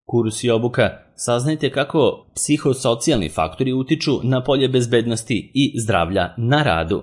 Kurs i obuka. Saznajte kako psihosocijalni faktori utiču na polje bezbednosti i zdravlja na radu.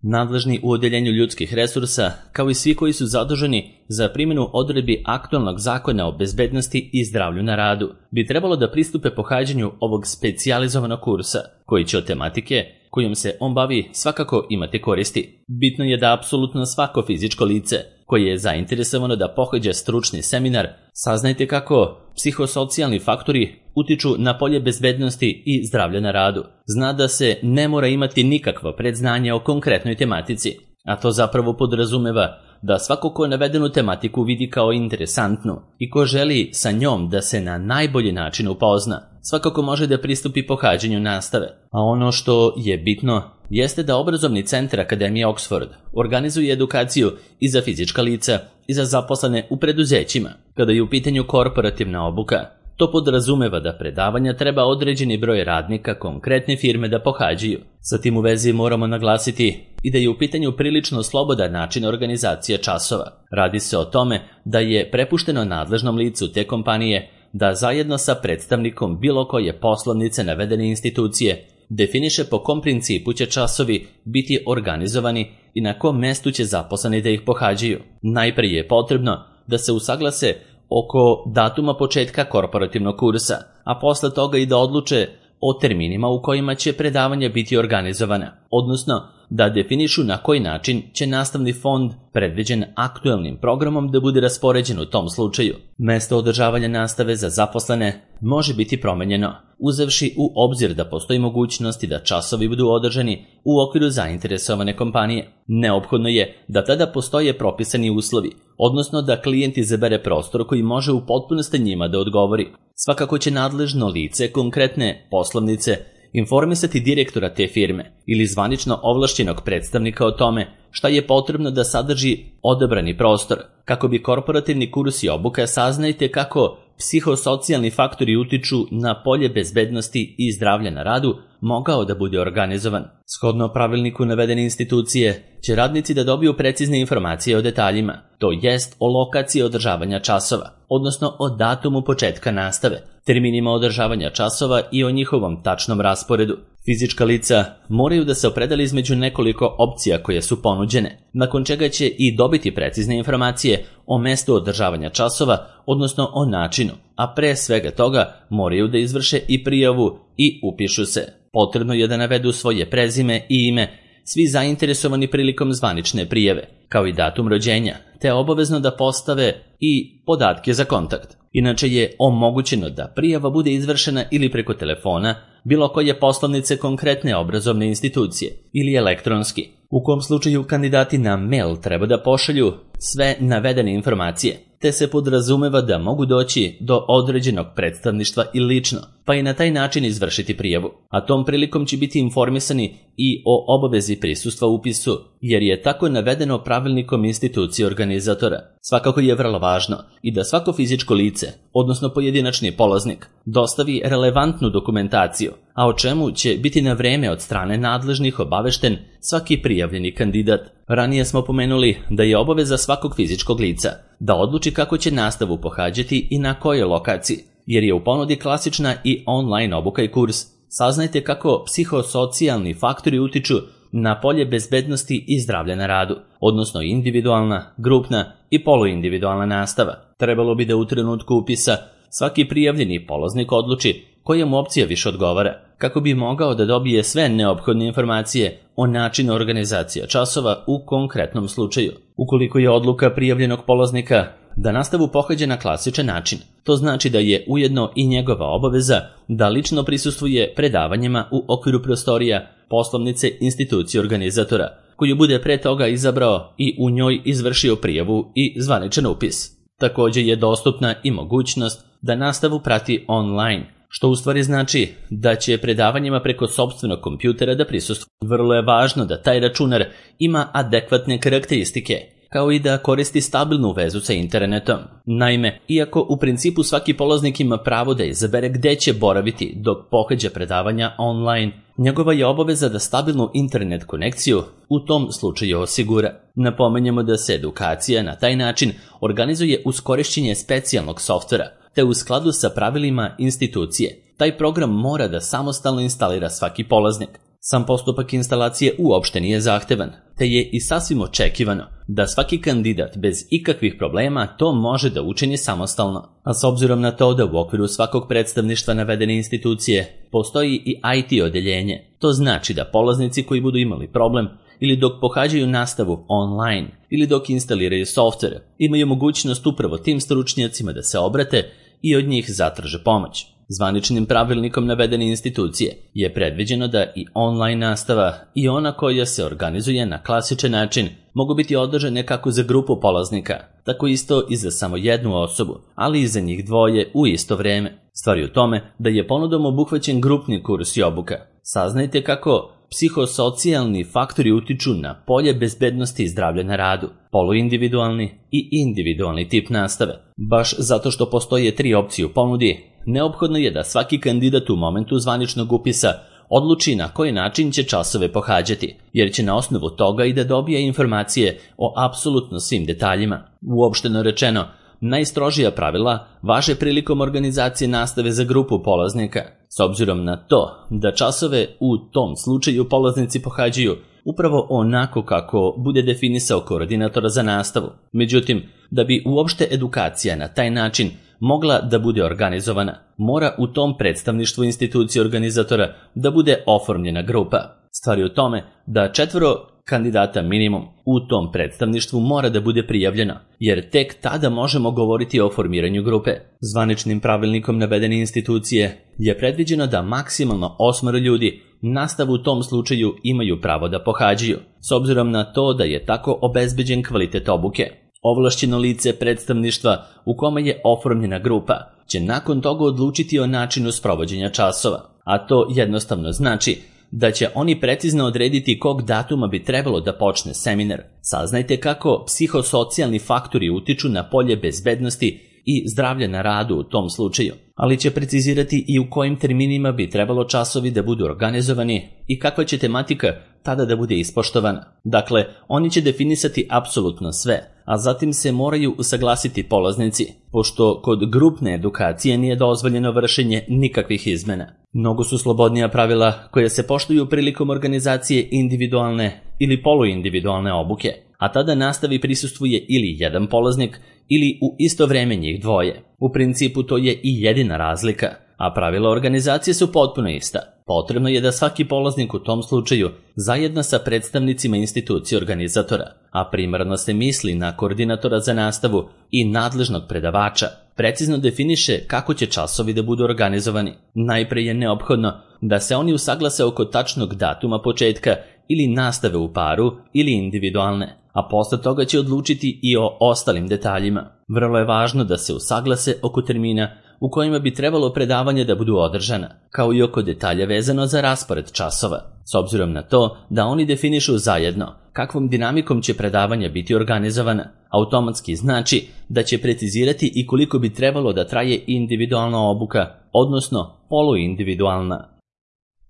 Nadležni u odeljenju ljudskih resursa, kao i svi koji su zaduženi za primjenu odredbi aktualnog zakona o bezbednosti i zdravlju na radu, bi trebalo da pristupe pohađanju ovog specijalizovanog kursa, koji će od tematike kojom se on bavi svakako imati koristi. Bitno je da apsolutno svako fizičko lice koje je zainteresovano da pohađa stručni seminar, saznajte kako psihosocijalni faktori utiču na polje bezbednosti i zdravlja na radu. Zna da se ne mora imati nikakvo predznanje o konkretnoj tematici, a to zapravo podrazumeva da svako ko navedenu tematiku vidi kao interesantnu i ko želi sa njom da se na najbolji način upozna, svakako može da pristupi pohađanju nastave. A ono što je bitno jeste da obrazovni centar Akademije Oxford organizuje edukaciju i za fizička lica i za zaposlene u preduzećima. Kada je u pitanju korporativna obuka, to podrazumeva da predavanja treba određeni broj radnika konkretne firme da pohađaju. Sa tim u vezi moramo naglasiti i da je u pitanju prilično slobodan način organizacije časova. Radi se o tome da je prepušteno nadležnom licu te kompanije da zajedno sa predstavnikom bilo koje poslovnice navedene institucije definiše po kom principu će časovi biti organizovani i na kom mestu će zaposleni da ih pohađaju. Najprije je potrebno da se usaglase oko datuma početka korporativnog kursa, a posle toga i da odluče o terminima u kojima će predavanja biti organizovana, odnosno da definišu na koji način će nastavni fond predviđen aktuelnim programom da bude raspoređen u tom slučaju. Mesto održavanja nastave za zaposlene može biti promenjeno, uzevši u obzir da postoji mogućnosti da časovi budu održani u okviru zainteresovane kompanije. Neophodno je da tada postoje propisani uslovi, odnosno da klijent izabere prostor koji može u potpunosti njima da odgovori. Svakako će nadležno lice konkretne poslovnice informisati direktora te firme ili zvanično ovlašćenog predstavnika o tome šta je potrebno da sadrži odabrani prostor. Kako bi korporativni kurs i obuka, saznajte kako psihosocijalni faktori utiču na polje bezbednosti i zdravlja na radu mogao da bude organizovan. Shodno pravilniku navedene institucije će radnici da dobiju precizne informacije o detaljima, to jest o lokaciji održavanja časova, odnosno o datumu početka nastave, terminima održavanja časova i o njihovom tačnom rasporedu. Fizička lica moraju da se opredele između nekoliko opcija koje su ponuđene, nakon čega će i dobiti precizne informacije o mestu održavanja časova, odnosno o načinu, a pre svega toga moraju da izvrše i prijavu i upišu se. Potrebno je da navedu svoje prezime i ime, svi zainteresovani prilikom zvanične prijave, kao i datum rođenja, te obavezno da postave i podatke za kontakt. Inače je omogućeno da prijava bude izvršena ili preko telefona, bilo koje poslovnice konkretne obrazovne institucije ili elektronski, u kom slučaju kandidati na mail treba da pošalju sve navedene informacije, te se podrazumeva da mogu doći do određenog predstavništva i lično, pa i na taj način izvršiti prijavu. A tom prilikom će biti informisani i o obavezi prisustva upisu, jer je tako navedeno pravilnikom institucije organizatora. Svakako je vrlo važno i da svako fizičko lice, odnosno pojedinačni polaznik, dostavi relevantnu dokumentaciju, a o čemu će biti na vreme od strane nadležnih obavešten svaki prijavljeni kandidat. Ranije smo pomenuli da je obaveza svakog fizičkog lica da odluči kako će nastavu pohađati i na kojoj lokaciji, jer je u ponudi klasična i online obuka i kurs. Saznajte kako psihosocijalni faktori utiču na polje bezbednosti i zdravlja na radu, odnosno individualna, grupna i poluindividualna nastava. Trebalo bi da u trenutku upisa svaki prijavljeni polaznik odluči koja mu opcija više odgovara, kako bi mogao da dobije sve neophodne informacije o načinu organizacije časova u konkretnom slučaju. Ukoliko je odluka prijavljenog polaznika da nastavu pohađa na klasičan način, to znači da je ujedno i njegova obaveza da lično prisustvuje predavanjima u okviru prostorija poslovnice institucije organizatora, koju bude pre toga izabrao i u njoj izvršio prijavu i zvaničan upis. Također je dostupna i mogućnost da nastavu prati online, što u stvari znači da će predavanjima preko sopstvenog kompjutera da prisustvuje. Vrlo je važno da taj računar ima adekvatne karakteristike, kao i da koristi stabilnu vezu sa internetom. Naime, iako u principu svaki polaznik ima pravo da izabere gde će boraviti dok pohađa predavanja online, njegova je obaveza da stabilnu internet konekciju u tom slučaju osigura. Napomenjemo da se edukacija na taj način organizuje uz korišćenje specijalnog softvera, te u skladu sa pravilima institucije. Taj program mora da samostalno instalira svaki polaznik. Sam postupak instalacije uopšte nije zahtevan, te je i sasvim očekivano da svaki kandidat bez ikakvih problema to može da učini samostalno. A s obzirom na to da u okviru svakog predstavništva navedene institucije postoji i IT odeljenje, to znači da polaznici koji budu imali problem ili dok pohađaju nastavu online ili dok instaliraju software, imaju mogućnost upravo tim stručnjacima da se obrate i od njih zatraže pomoć. Zvaničnim pravilnikom navedene institucije je predviđeno da i online nastava i ona koja se organizuje na klasičan način mogu biti održane kako za grupu polaznika, tako isto i za samo jednu osobu, ali i za njih dvoje u isto vreme. Stvar je u tome da je ponudom obuhvaćen grupni kurs i obuka. Saznajte kako psihosocijalni faktori utiču na polje bezbednosti i zdravlja na radu, poluindividualni i individualni tip nastave. Baš zato što postoje 3 opcije u ponudi, neophodno je da svaki kandidat u momentu zvaničnog upisa odluči na koji način će časove pohađati, jer će na osnovu toga i da dobije informacije o apsolutno svim detaljima. Uopšteno rečeno, najstrožija pravila važe prilikom organizacije nastave za grupu polaznika, s obzirom na to da časove u tom slučaju polaznici pohađaju upravo onako kako bude definisao koordinator za nastavu. Međutim, da bi uopšte edukacija na taj način mogla da bude organizovana, mora u tom predstavništvu institucije organizatora da bude oformljena grupa. Stvar je u tome da 4 kandidata minimum u tom predstavništvu mora da bude prijavljeno, jer tek tada možemo govoriti o formiranju grupe. Zvaničnim pravilnikom navedene institucije je predviđeno da maksimalno 8 ljudi nastavu u tom slučaju imaju pravo da pohađaju, s obzirom na to da je tako obezbeđen kvalitet obuke. Ovlašćeno lice predstavništva u kome je oformljena grupa će nakon toga odlučiti o načinu sprovođenja časova, a to jednostavno znači da će oni precizno odrediti kog datuma bi trebalo da počne seminar. Saznajte kako psihosocijalni faktori utiču na polje bezbednosti i zdravlja na radu u tom slučaju, ali će precizirati i u kojim terminima bi trebalo časovi da budu organizovani i kakva će tematika tada da bude ispoštovana. Dakle, oni će definisati apsolutno sve, a zatim se moraju usaglasiti polaznici, pošto kod grupne edukacije nije dozvoljeno vršenje nikakvih izmena. Mnogo su slobodnija pravila koja se poštuju prilikom organizacije individualne ili poluindividualne obuke, a tada nastavi prisustvuje ili jedan polaznik ili u isto vreme njih dvoje. U principu to je i jedina razlika, a pravila organizacije su potpuno ista. Potrebno je da svaki polaznik u tom slučaju zajedno sa predstavnicima institucije organizatora, a primarno se misli na koordinatora za nastavu i nadležnog predavača, precizno definiše kako će časovi da budu organizovani. Najpre je neophodno da se oni usaglase oko tačnog datuma početka ili nastave u paru ili individualne, a posle toga će odlučiti i o ostalim detaljima. Vrlo je važno da se usaglase oko termina u kojima bi trebalo predavanje da budu održana, kao i oko detalja vezano za raspored časova, s obzirom na to da oni definišu zajedno kakvom dinamikom će predavanja biti organizovana. Automatski znači da će precizirati i koliko bi trebalo da traje individualna obuka, odnosno poluindividualna.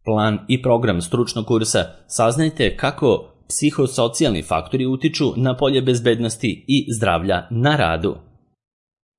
Plan i program stručnog kursa. Saznajte kako psihosocijalni faktori utiču na polje bezbednosti i zdravlja na radu.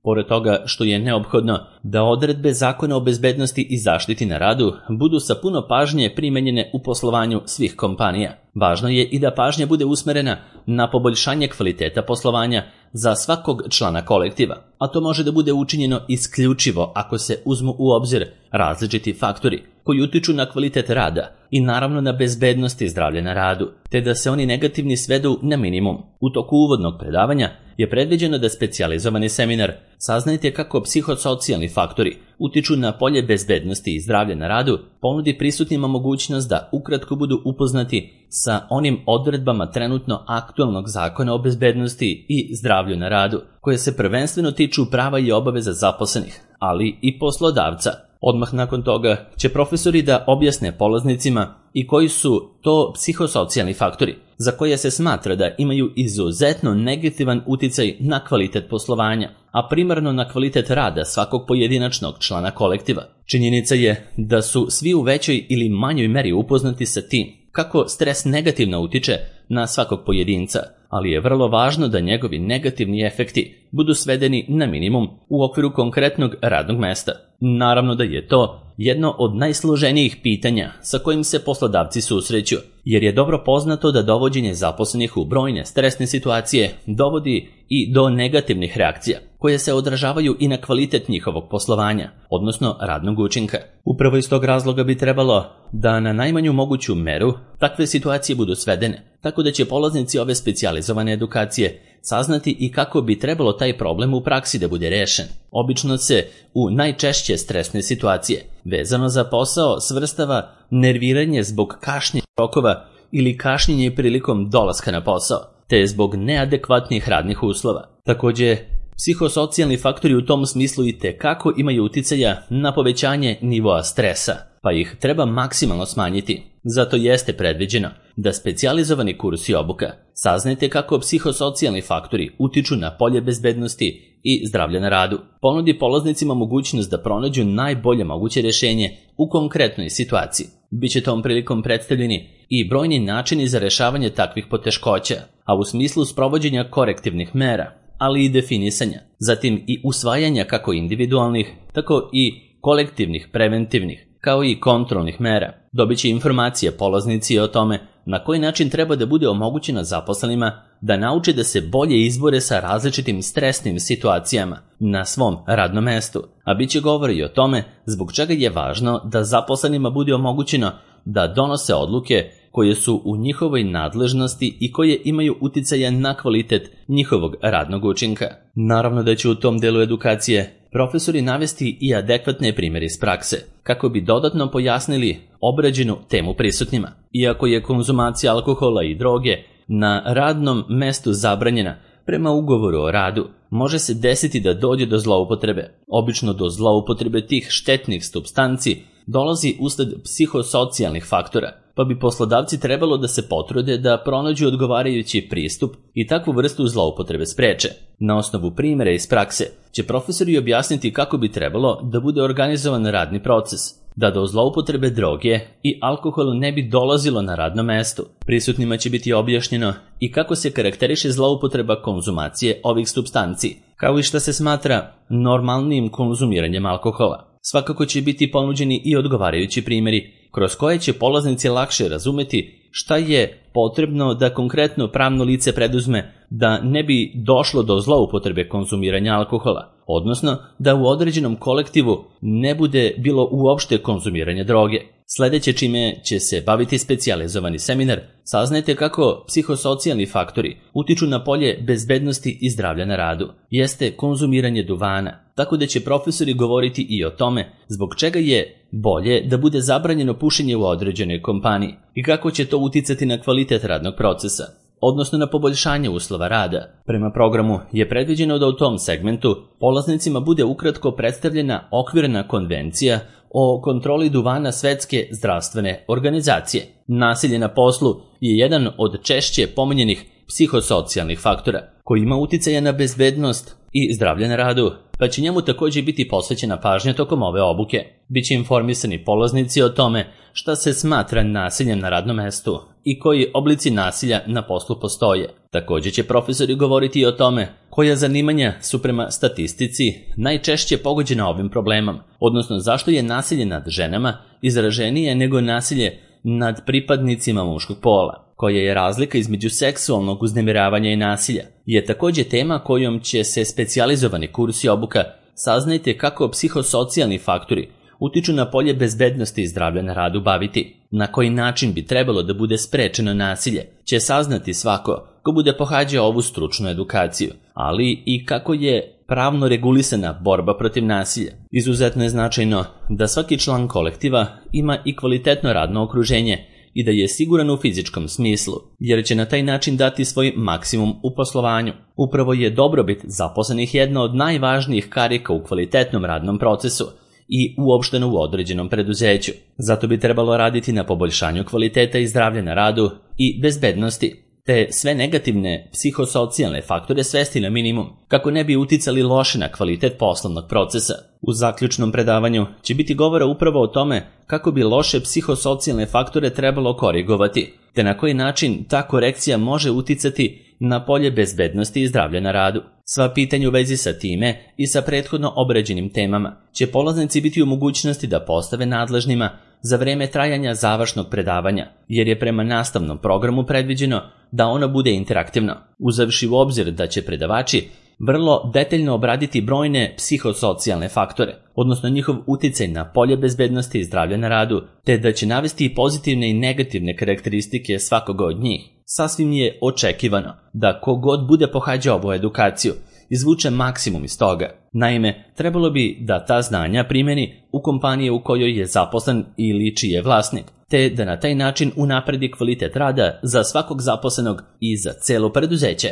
Pored toga što je neophodno da odredbe Zakona o bezbednosti i zaštiti na radu budu sa puno pažnje primenjene u poslovanju svih kompanija, važno je i da pažnja bude usmerena na poboljšanje kvaliteta poslovanja za svakog člana kolektiva, a to može da bude učinjeno isključivo ako se uzmu u obzir različiti faktori koji utiču na kvalitet rada i naravno na bezbednost i zdravlje na radu, te da se oni negativni svedu na minimum. U toku uvodnog predavanja je predviđeno da specijalizovani seminar Saznajte kako psihosocijalni faktori utiču na polje bezbednosti i zdravlja na radu ponudi prisutnima mogućnost da ukratko budu upoznati sa onim odredbama trenutno aktualnog Zakona o bezbednosti i zdravlju na radu, koje se prvenstveno tiču prava i obaveza zaposlenih, ali i poslodavca. Odmah nakon toga će profesori da objasne polaznicima i koji su to psihosocijalni faktori, za koje se smatra da imaju izuzetno negativan uticaj na kvalitet poslovanja, a primarno na kvalitet rada svakog pojedinačnog člana kolektiva. Činjenica je da su svi u većoj ili manjoj meri upoznati sa tim kako stres negativno utiče na svakog pojedinca, ali je vrlo važno da njegovi negativni efekti budu svedeni na minimum u okviru konkretnog radnog mesta. Naravno da je to jedno od najsloženijih pitanja sa kojim se poslodavci susreću, jer je dobro poznato da dovođenje zaposlenih u brojne stresne situacije dovodi i do negativnih reakcija, koje se odražavaju i na kvalitet njihovog poslovanja, odnosno radnog učinka. Upravo iz tog razloga bi trebalo da na najmanju moguću meru takve situacije budu svedene, tako da će polaznici ove specijalizovane edukacije saznati i kako bi trebalo taj problem u praksi da bude rešen. Obično se u najčešće stresne situacije vezano za posao svrstava nerviranje zbog kašnjenja rokova ili kašnjenje prilikom dolaska na posao, te zbog neadekvatnih radnih uslova. Takođe, psihosocijalni faktori u tom smislu itekako imaju uticaja na povećanje nivoa stresa, pa ih treba maksimalno smanjiti. Zato jeste predviđeno da specijalizovani kurs i obuka saznajte kako psihosocijalni faktori utiču na polje bezbednosti i zdravlja na radu. Ponudi polaznicima mogućnost da pronađu najbolje moguće rješenje u konkretnoj situaciji. Biće tom prilikom predstavljeni i brojni načini za rešavanje takvih poteškoća, a u smislu sprovođenja korektivnih mera, ali i definisanja, zatim i usvajanja kako individualnih, tako i kolektivnih, preventivnih, kao i kontrolnih mera. Dobit će informacije polaznici o tome na koji način treba da bude omogućeno zaposlenima da nauče da se bolje izbore sa različitim stresnim situacijama na svom radnom mestu, a bit će govora i o tome zbog čega je važno da zaposlenima bude omogućeno da donose odluke koje su u njihovoj nadležnosti i koje imaju uticaja na kvalitet njihovog radnog učinka. Naravno da će u tom delu edukacije profesori navesti i adekvatne primjere iz prakse, kako bi dodatno pojasnili obrađenu temu prisutnima. Iako je konzumacija alkohola i droge na radnom mestu zabranjena prema ugovoru o radu, može se desiti da dođe do zloupotrebe. Obično do zloupotrebe tih štetnih supstanci dolazi usled psihosocijalnih faktora, pa bi poslodavci trebalo da se potrude da pronađu odgovarajući pristup i takvu vrstu zloupotrebe spreče. Na osnovu primjera iz prakse će profesori objasniti kako bi trebalo da bude organizovan radni proces, da do zloupotrebe droge i alkohola ne bi dolazilo na radnom mestu. Prisutnima će biti objašnjeno i kako se karakteriše zloupotreba konzumacije ovih supstanci, kao i šta se smatra normalnim konzumiranjem alkohola. Svakako će biti ponuđeni i odgovarajući primjeri kroz koje će polaznici lakše razumeti šta je potrebno da konkretno pravno lice preduzme da ne bi došlo do zloupotrebe konzumiranja alkohola, odnosno da u određenom kolektivu ne bude bilo uopšte konzumiranja droge. Sledeće čime će se baviti specijalizovani seminar, saznajte kako psihosocijalni faktori utiču na polje bezbednosti i zdravlja na radu. Jeste konzumiranje duvana, tako da će profesori govoriti i o tome zbog čega je bolje da bude zabranjeno pušenje u određenoj kompaniji i kako će to uticati na kvalitet radnog procesa, odnosno na poboljšanje uslova rada. Prema programu je predviđeno da u tom segmentu polaznicima bude ukratko predstavljena okvirna konvencija o kontroli duvana Svetske zdravstvene organizacije. Nasilje na poslu je jedan od češće pominjenih psihosocijalnih faktora koji ima uticaja na bezbednost i zdravlje na radu, pa će njemu također biti posvećena pažnja tokom ove obuke. Biće informisani polaznici o tome šta se smatra nasiljem na radnom mestu i koji oblici nasilja na poslu postoje. Također će profesori govoriti o tome koja zanimanja su prema statistici najčešće pogođena ovim problemom, odnosno zašto je nasilje nad ženama izraženije nego nasilje nad pripadnicima muškog pola. Koja je razlika između seksualnog uznemiravanja i nasilja, je također tema kojom će se specijalizovani kurs i obuka saznajte kako psihosocijalni faktori utiču na polje bezbednosti i zdravlja na radu baviti. Na koji način bi trebalo da bude sprečeno nasilje će saznati svako ko bude pohađao ovu stručnu edukaciju, ali i kako je pravno regulisana borba protiv nasilja. Izuzetno je značajno da svaki član kolektiva ima i kvalitetno radno okruženje i da je siguran u fizičkom smislu, jer će na taj način dati svoj maksimum u poslovanju. Upravo je dobrobit zaposlenih jedna od najvažnijih karika u kvalitetnom radnom procesu i uopšteno u određenom preduzeću. Zato bi trebalo raditi na poboljšanju kvaliteta i zdravlja na radu i bezbednosti, te sve negativne psihosocijalne faktore svesti na minimum, kako ne bi uticali loše na kvalitet poslovnog procesa. U zaključnom predavanju će biti govora upravo o tome kako bi loše psihosocijalne faktore trebalo korigovati, te na koji način ta korekcija može uticati na polje bezbednosti i zdravlja na radu. Sva pitanja u vezi sa time i sa prethodno obrađenim temama će polaznici biti u mogućnosti da postave nadležnima za vreme trajanja završnog predavanja, jer je prema nastavnom programu predviđeno da ono bude interaktivno, uzevši u obzir da će predavači vrlo detaljno obraditi brojne psihosocijalne faktore, odnosno njihov uticaj na polje bezbednosti i zdravlja na radu, te da će navesti i pozitivne i negativne karakteristike svakoga od njih. Sasvim je očekivano da kogod bude pohađao ovu edukaciju izvuče maksimum iz toga. Naime, trebalo bi da ta znanja primeni u kompaniji u kojoj je zaposlen ili čiji je vlasnik, te da na taj način unapredi kvalitet rada za svakog zaposlenog i za celo preduzeće.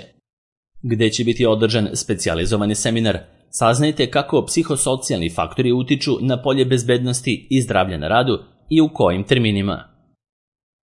Gde će biti održan specijalizovani seminar, saznajte kako psihosocijalni faktori utiču na polje bezbednosti i zdravlja na radu i u kojim terminima.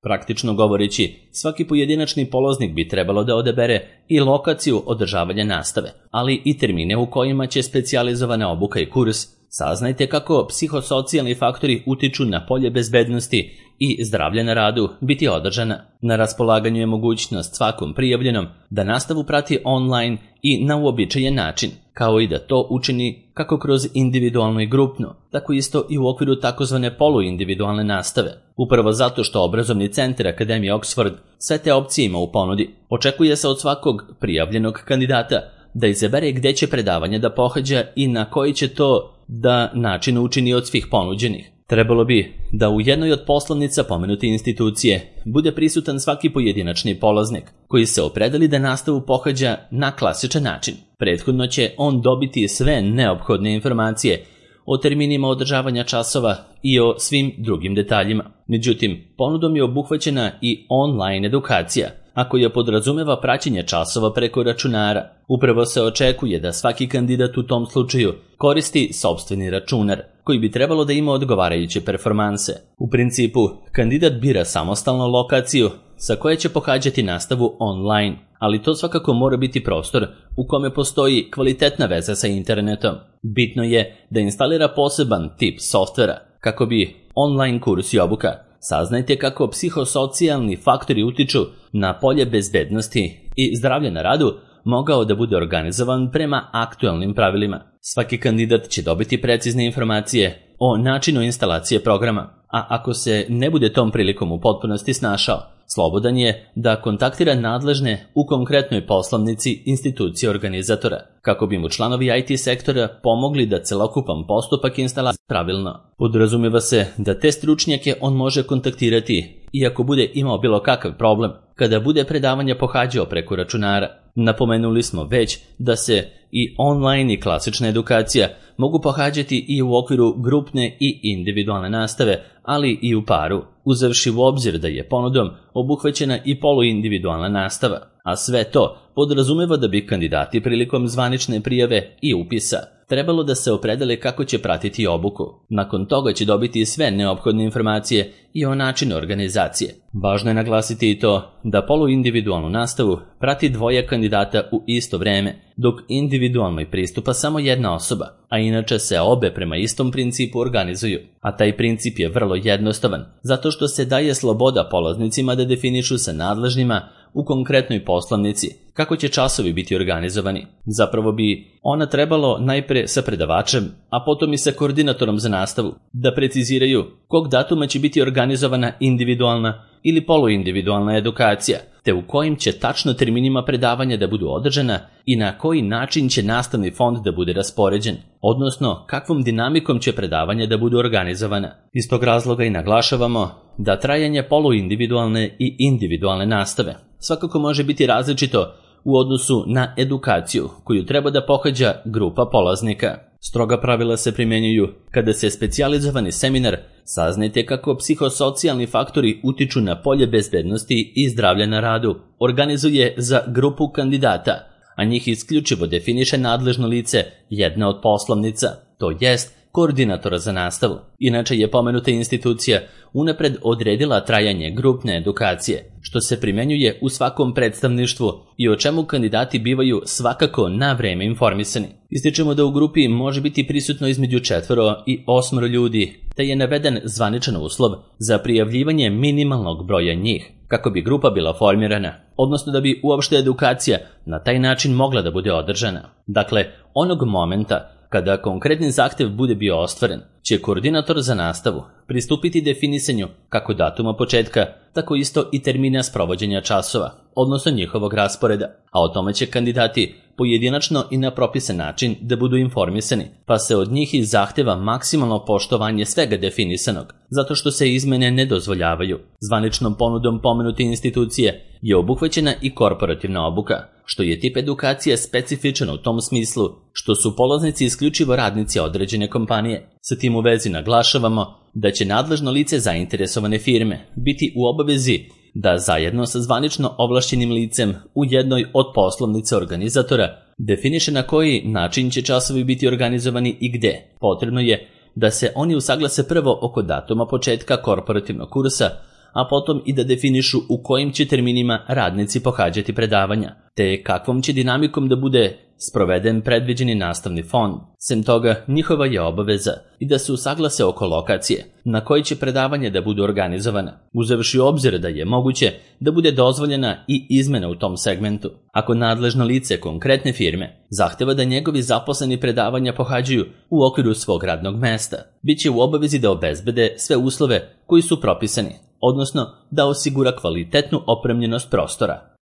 Praktično govoreći, svaki pojedinačni polaznik bi trebalo da odabere i lokaciju održavanja nastave, ali i termine u kojima će specijalizovana obuka i kurs. Saznajte kako psihosocijalni faktori utiču na polje bezbednosti i zdravlja na radu biti održana. Na raspolaganju je mogućnost svakom prijavljenom da nastavu prati online i na uobičajen način, kao i da to učini kako kroz individualno i grupno, tako isto i u okviru takozvane poluindividualne nastave. Upravo zato što obrazovni centar Akademije Oxford sve te opcije ima u ponudi, očekuje se od svakog prijavljenog kandidata da izabere gde će predavanje da pohađa i na koji će to da način učini od svih ponuđenih. Trebalo bi da u jednoj od poslovnica pomenute institucije bude prisutan svaki pojedinačni polaznik koji se opredeli da nastavu pohađa na klasičan način. Prethodno će on dobiti sve neophodne informacije o terminima održavanja časova i o svim drugim detaljima. Međutim, ponudom je obuhvaćena i online edukacija, a koja podrazumeva praćenje časova preko računara. Upravo se očekuje da svaki kandidat u tom slučaju koristi sopstveni računar, koji bi trebalo da ima odgovarajuće performanse. U principu, kandidat bira samostalno lokaciju sa koje će pohađati nastavu online, ali to svakako mora biti prostor u kome postoji kvalitetna veza sa internetom. Bitno je da instalira poseban tip softvera kako bi online kurs i obuka. Saznajte kako psihosocijalni faktori utiču na polje bezbednosti i zdravlja na radu mogao da bude organizovan prema aktualnim pravilima. Svaki kandidat će dobiti precizne informacije o načinu instalacije programa, a ako se ne bude tom prilikom u potpunosti snašao, slobodan je da kontaktira nadležne u konkretnoj poslovnici institucije organizatora, kako bi mu članovi IT sektora pomogli da celokupan postupak instalacije pravilno. Podrazumeva se da te stručnjake on može kontaktirati i ako bude imao bilo kakav problem, kada bude predavanje pohađao preko računara. Napomenuli smo već da se i online i klasična edukacija mogu pohađati i u okviru grupne i individualne nastave, ali i u paru, uzevši u obzir da je ponudom obuhvaćena i poluindividualna nastava, a sve to podrazumeva da bi kandidati prilikom zvanične prijave i upisa trebalo da se opredele kako će pratiti obuku. Nakon toga će dobiti sve neophodne informacije i o načinu organizacije. Važno je naglasiti i to da poluindividualnu nastavu prati dvoje kandidata u isto vreme, dok individualnoj pristupa samo jedna osoba, a inače se obe prema istom principu organizuju. A taj princip je vrlo jednostavan, zato što se daje sloboda polaznicima da definišu sa nadležnima u konkretnoj poslovnici kako će časovi biti organizovani. Zapravo bi ona trebalo najpre sa predavačem, a potom i sa koordinatorom za nastavu, da preciziraju kog datuma će biti organizovana individualna ili poluindividualna edukacija, te u kojim će tačno terminima predavanja da budu održana i na koji način će nastavni fond da bude raspoređen, odnosno kakvom dinamikom će predavanja da budu organizovana. Iz tog razloga i naglašavamo da trajanje poluindividualne i individualne nastave svakako može biti različito u odnosu na edukaciju koju treba da pohađa grupa polaznika. Stroga pravila se primjenjuju kada se specijalizovani seminar, saznajte kako psihosocijalni faktori utiču na polje bezbednosti i zdravlja na radu, organizuje za grupu kandidata, a njih isključivo definiše nadležno lice jedna od poslovnica, to jest koordinatora za nastavu. Inače je pomenuta institucija unapred odredila trajanje grupne edukacije, što se primenjuje u svakom predstavništvu i o čemu kandidati bivaju svakako na vreme informisani. Ističemo da u grupi može biti prisutno između 4 i 8 ljudi, te je naveden zvaničan uslov za prijavljivanje minimalnog broja njih. kako bi grupa bila formirana, odnosno da bi uopšte edukacija na taj način mogla da bude održana. Dakle, onog momenta kada konkretni zahtev bude bio ostvaren, će koordinator za nastavu pristupiti definisanju kako datuma početka, tako isto i termina sprovođenja časova, odnosno njihovog rasporeda, a o tome će kandidati pojedinačno i na propisan način da budu informisani, pa se od njih i zahteva maksimalno poštovanje svega definisanog, zato što se izmene ne dozvoljavaju. Zvaničnom ponudom pomenute institucije je obuhvaćena i korporativna obuka, što je tip edukacije specifičan u tom smislu što su polaznici isključivo radnici određene kompanije. Sa tim u vezi naglašavamo da će nadležno lice zainteresovane firme biti u obavezi da zajedno sa zvanično ovlašćenim licem u jednoj od poslovnica organizatora definiše na koji način će časovi biti organizovani i gde. Potrebno je da se oni usaglase prvo oko datuma početka korporativnog kursa, a potom i da definišu u kojim će terminima radnici pohađati predavanja, te kakvom će dinamikom da bude sproveden predviđeni nastavni fond. Sem toga, njihova je obaveza i da se usaglase oko lokacije na koji će predavanja da budu organizovana, uzevši u obzir da je moguće da bude dozvoljena i izmena u tom segmentu. Ako nadležno lice konkretne firme zahteva da njegovi zaposleni predavanja pohađaju u okviru svog radnog mesta, bit će u obavezi da obezbede sve uslove koji su propisani, odnosno da osigura kvalitetnu opremljenost prostora.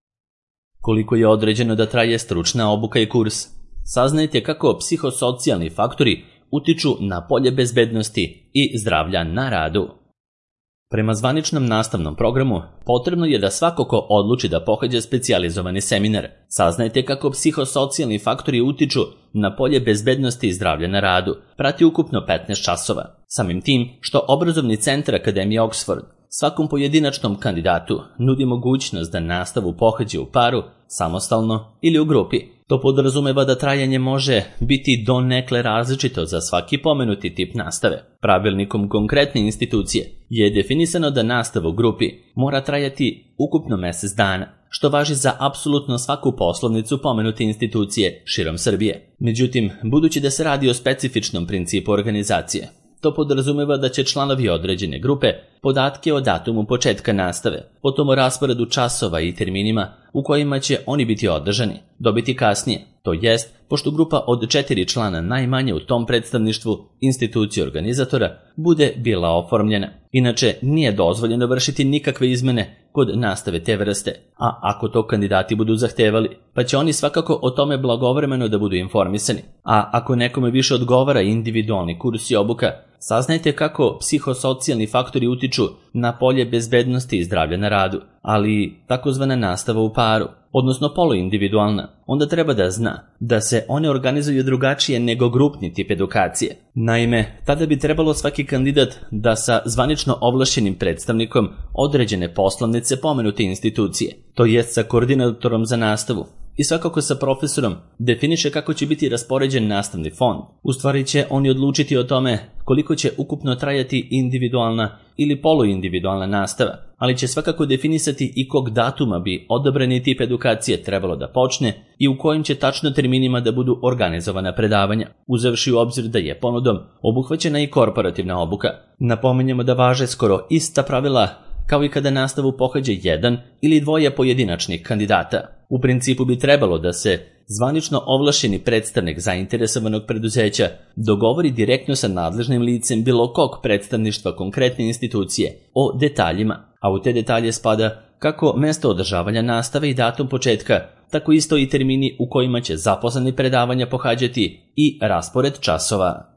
Koliko je određeno da traje stručna obuka i kurs? Saznajte kako psihosocijalni faktori utiču na polje bezbednosti i zdravlja na radu. Prema zvaničnom nastavnom programu, potrebno je da svako ko odluči da pohađa specijalizovani seminar, saznajte kako psihosocijalni faktori utiču na polje bezbednosti i zdravlja na radu, prati ukupno 15 časova. Samim tim što obrazovni centar Akademije Oxford svakom pojedinačnom kandidatu nudi mogućnost da nastavu pohađa u paru, samostalno ili u grupi. To podrazumeva da trajanje može biti donekle različito za svaki pomenuti tip nastave. Pravilnikom konkretne institucije je definisano da nastava u grupi mora trajati ukupno mjesec dana, što važi za apsolutno svaku poslovnicu pomenute institucije širom Srbije. Međutim, budući da se radi o specifičnom principu organizacije, to podrazumeva da će članovi određene grupe podatke o datumu početka nastave, potom o rasporedu časova i terminima u kojima će oni biti održani, dobiti kasnije, to jest, pošto grupa od 4 člana najmanje u tom predstavništvu institucije organizatora bude bila oformljena. Inače, nije dozvoljeno vršiti nikakve izmene kod nastave te vrste, a ako to kandidati budu zahtevali, pa će oni svakako o tome blagovremeno da budu informisani. A ako nekome više odgovara individualni kurs i obuka, saznajte kako psihosocijalni faktori utiču na polje bezbednosti i zdravlja na radu, ali takozvana nastava u paru, odnosno poluindividualna, onda treba da zna da se one organizuju drugačije nego grupni tip edukacije. Naime, tada bi trebalo svaki kandidat da sa zvanično ovlašćenim predstavnikom određene poslovnice pomenute institucije, to jest sa koordinatorom za nastavu, i svakako sa profesorom definiše kako će biti raspoređen nastavni fond. U stvari će oni odlučiti o tome koliko će ukupno trajati individualna ili poluindividualna nastava, ali će svakako definisati i kog datuma bi odabrani tip edukacije trebalo da počne i u kojim će tačno terminima da budu organizovana predavanja, uzevši u obzir da je ponudom obuhvaćena i korporativna obuka. Napominjemo da važe skoro ista pravila kao i kada nastavu pohađa jedan ili dvoje pojedinačnih kandidata. U principu bi trebalo da se zvanično ovlašćeni predstavnik zainteresovanog preduzeća dogovori direktno sa nadležnim licem bilo kog predstavništva konkretne institucije o detaljima, a u te detalje spada kako mesto održavanja nastave i datum početka, tako isto i termini u kojima će zaposleni predavanja pohađati i raspored časova.